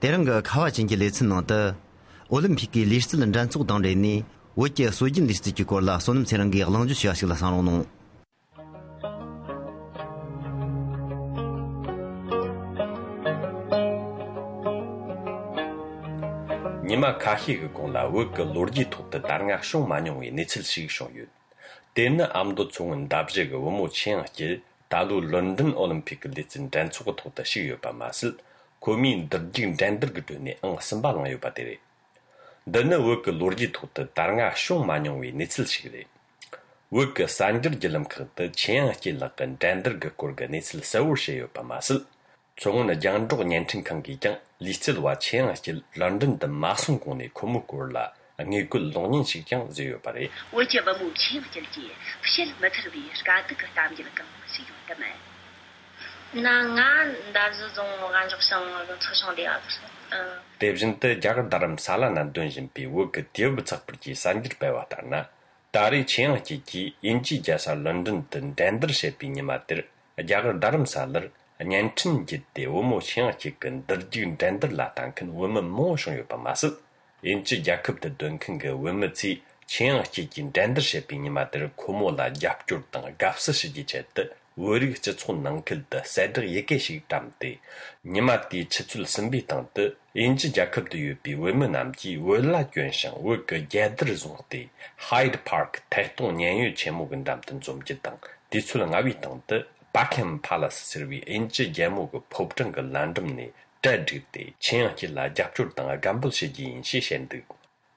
대릉가 카와진기 레츠노다 올림픽이 리스트는 잔속 당래니 워케 소진 리스트 기콜라 소놈 세랑기 양주 시아실라 산노 니마 카히그 공라 워크 로르지 톡다 다르가 쇼 마뇽이 네칠식 쇼유 데나 암도 총은 답제가 워모 치앙지 다루 런던 올림픽 리튼 단초고 톡다 시유 바마슬 고민 더징 댄더그드니 앙선바랑요 바데리 데나 워크 로르지 톡다 다르가 쇼 마뇽이 네칠식리 워크 산저 질람 크다 치앙지 라간 댄더그 고르가 네칠 서울시유 바마슬 총은 장족 년층 관계장 리스트와 치앙지 런던 더 마송공의 고무골라 angekul longning shikjang zeyo pare我这不目前不解不是没特别是干这个咱们这个是有的没那俺但是从俺就上车上的啊devjinte jagar daram sala nan dunjin pi wo ke tiebu chakpurji sanjir pewa tarna tari chiangji ji inji jasa london den dander shepi nimatir jagar daram salar nyanchin jitte womo chiangji kan darjin dander la tanken womo mo shong yo pamas 인지 야급의 돈큰가 원무치 치앙치진 댄더셰피 니마들 고모라 yap줄 등 값스시지 제때 우리 저촌 능클다 세드 예계식 담대 니마티 치출 선비 등의 인지 야급의 유비 원문남지 월라捐상 워크 제들 종대 하이드 파크 태동 년유 제목은 담던 좀지 등 디출은 아비 등의 바켄 팔라스 서비 인지 제목 법정과 란덤니 Daddy, Chiangilla Japtur Tanga Gamble Shiji Shishendu.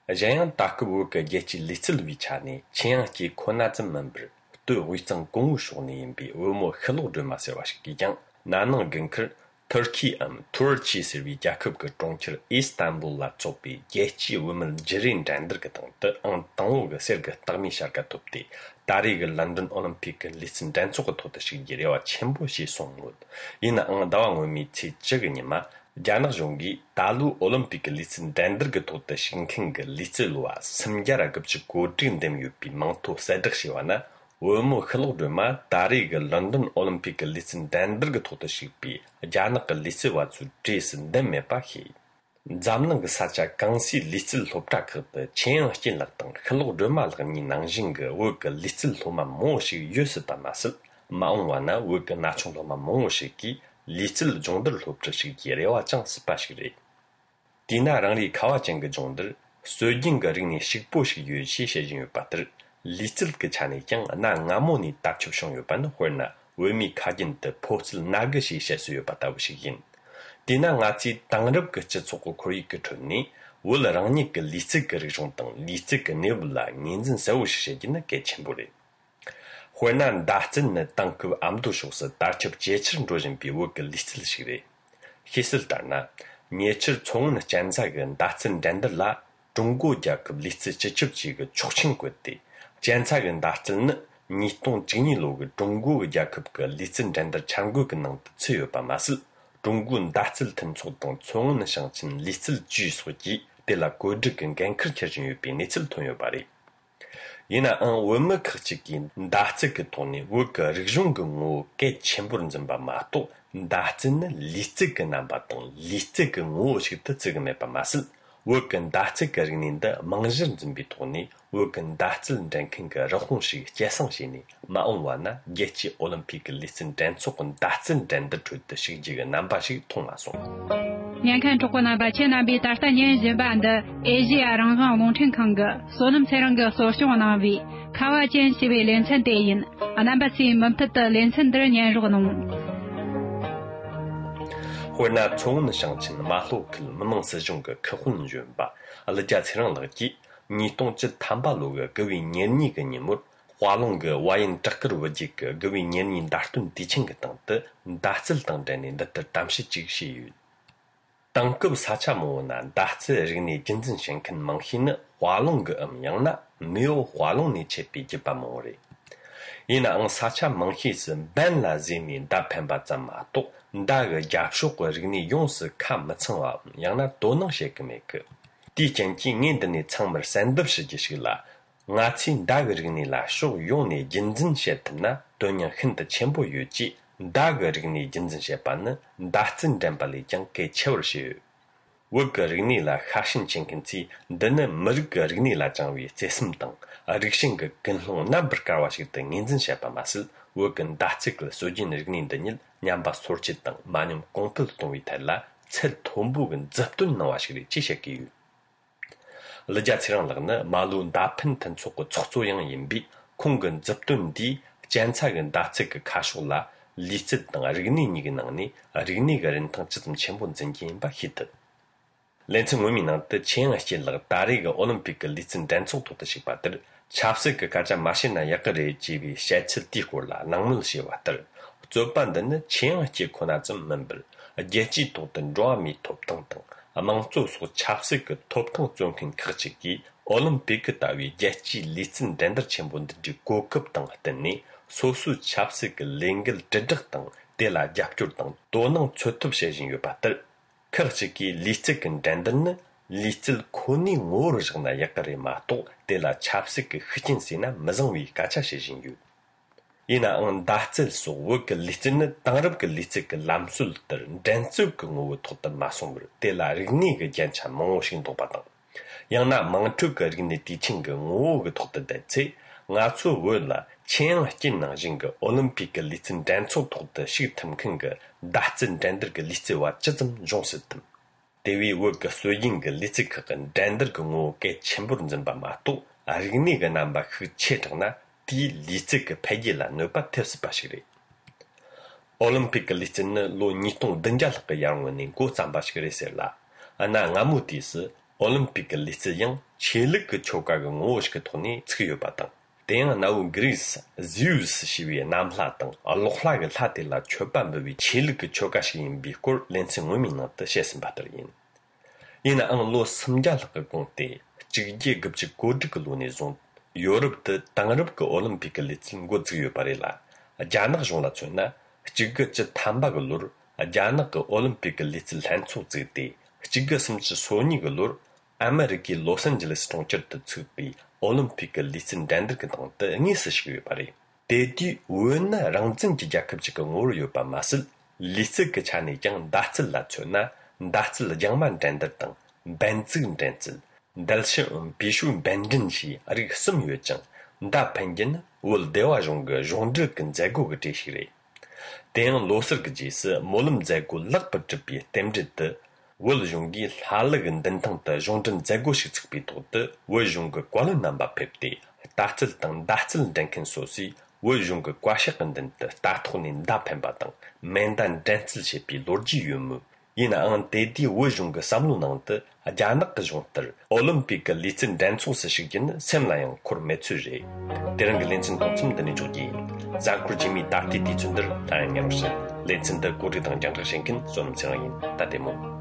A giant Takubuka Yechi Little Vichani, Chiangki Konazan member, two Wiston Gong Shoni in Bi Umo Hello de Masawashki, Nano Gunker, Turkey Turkey Servi Jakub Doncher, Istanbul Latsopi, Yechi woman Jerin Dandergaton, on Tonga Serga Tamisharka Topti, Darig London Olympic listen dance to the Shigeria Chembo Shi Songwood. In an Dawang meet Jaganima, Jana Jongi, Dalu Olympic listen Dandergato the Shinking Littlua, Samjara Gupchi Godin them you be Manto Sedashiwana, Wormo Hello Duma, Darig London Olympic listen Dandergato the Shipi, Janaka Little to Jason Demepahi. Zamnang sacha gangsi little loptak the chen hin latang hello demal ni nangjing work little loma moshi yusuta masel maungwana work nachong loma moshi ki little jongder lopta shi yerewa chang spashire dina rangli kawa jeng jongder sojing ring ni shikpo shi yu shi shejin yu patr little ke chane jang na ngamoni takchup shong yu ban horna wemi kajin de postal nagashi shesu yu pataw shi yin Dina ngati tangrab ke chetsoko kori ke chonni wala rangni ke lisik ke rishong tang lisik ke nebula ninzin sawu shishejina ke chenbore. Huanan dahzin na tangkub amdu shoksa darchab jechir ndojin bi wo ke listil shigre. Hisil darna, nyechir chong na janza ke dahzin dandar la zhonggo jakub listil chechib chi ke chokchin kwette. Janza ke dahzin na nitong jingni lo ke zhonggo jakub ke listil dandar changu ke nang tsuyo pa masil. Zhonggun datil tenchok tong chong shangchin listil ju soji de la godrigan gankir kerjin yu bi nitil tonyo bari. Yina an wama kachiki datil toni wuka rikzhong ngo ke chenburin zimba mato datil listil namba tong listil ngo shikta zigame pa masil wuka datil ringninda mangzhin zimbi toni wuka datil ranking rahong shik jasang shini maungwa na yechi Olympic listin dansokon datil danda chudda shikjiga namba shik tongma song. 年看中国那把前那比大3年日版的 Asia 让让龙城康个所能才让个所希望那位卡瓦坚西为连城电影啊那把是门特的连城的年入农 或那从那上前马路可能是种个客户人吧，阿拉家才让垃圾，你懂这坦巴路个各位年你个你么，华龙个瓦因扎克罗几个各位年你打顿地轻个等的，打字等着你的当时即是有。当个啥cha么呢？打字人你真正想看忙些呢，华龙个样呢，没有华龙你去比就把么嘞。因那啥cha忙些是本来人民大盘把咱马多。 大个家属个人呢，用是看没成啊，让那都能些个没个。第前几年的呢，成本30世纪是啦，我亲大个人呢啦，属用呢认真些的呢，都让很多全部有机。大个人呢认真些办呢，大真正把里讲给巧些。wog rigni la khashin chenkinci dana murg rigni la jangwi cesim dang rikshin ge genlong number karwashi de nginzin shapa masil wog datsik sojin rigni danil nyamba sorchit dang manum kongpil tongwi tala cel tombu gen zaptun nawashiri chishaki Leja tsirang lagna malu dapin tan tsoko tsokzo yang yinbi konggan zaptun di jancagan datsik kashula lichit dang rigni nigi nangni rigni ga rintang chitam chenpon zangi yinba hitad. Lensing wimi nangda chen ashi lag dari ga olimpik lichit dantsok tokta shikbatar chapsik gaja mashina yakare jibi shachil dikor nangmul shiwatar. Zoban dana chen ashi konazam member jechi toktan roa mi top tang tang. Amangzo so chapsik toptang zonkin kachiki Olympic dawi jachi litsin dendar chenbon di gokap tang hatani sosu chapsik lengil dedak tang dela japchur tang donang chotup shejin yobatar kachiki litsik dendarna litsil koni ngor jgna yakare mato dela chapsik khichin sina mazangwi kacha shejin yu Ina ang dahtsil so wog litsin tangrab ke litsik lamsul tar dansuk ngo thotan masongr tela rigni ge jancha mongoshin to patang yang na mangtuk ge rigni teaching ge ngo ge thotan da che nga chu wala chen jin na jing ge olympic litsin danso thotta shi tamkin ge dahtsin dander ge litsi wa chazam jongsitam dewi wog soying ge litsik ge dander ge ngo ge chembur zin ba ma to rigni ge namba khu chetna di lichik pegila nopa tepsi bashiri. Olympic lichik lo nitong denjal ke yang wani go zamba shiri serla. Ana ngamu disi Olympic lichik yang chelik ke choka ke ngosh ke toni tsiyo batang. Denga nau Greece Zeus shiwi namla tang alokla ke lati la choban bewi chelik ke choka shi yin bikor lensi ngumi na te shesin batar yin. Ina ang lo samjal ke gongte jigye gubchik godik lo ne zong Europe 당럽 그 올림픽 리친 고즈요 바래라 자나 종라 촌나 지그 저 탐바글로 자나 그 올림픽 리친 한초 지데 지그 심지 소니글로 아메리키 로스앤젤레스 통처트 츠비 올림픽 리친 댄더 그 동때 응이스시요 바래 데디 우엔나 랑증 지자급직 응오르요 바 마슬 리스 그 차니 장 다츠라 촌나 다츠라 장만 댄더 등 벤츠 댄츠 dalshin bishu bendin shi arik sim yuechang da pengin ul dewa jong jongde ken zago ge tishire den loser ge jis molum zago lag pat bi temjit de ul jongi halag den tang de jongden zago shi tsik bi to de wo jong ge kwal namba pepti datil tang datil denken sosi wo jong ge kwashik den de da thunin da pemba tang mendan dentil shi bi lorji yum Ina ang dedi wajung samlu nangte ajanak jongter Olympic litsin danso sashigin semlayang kurmetsu re. Derang lensin totsum dani jogi. Zakur jimi takti di chunder tayang yarusha. Lensin da gori dang jangta shenkin sonum sirayin tatemo.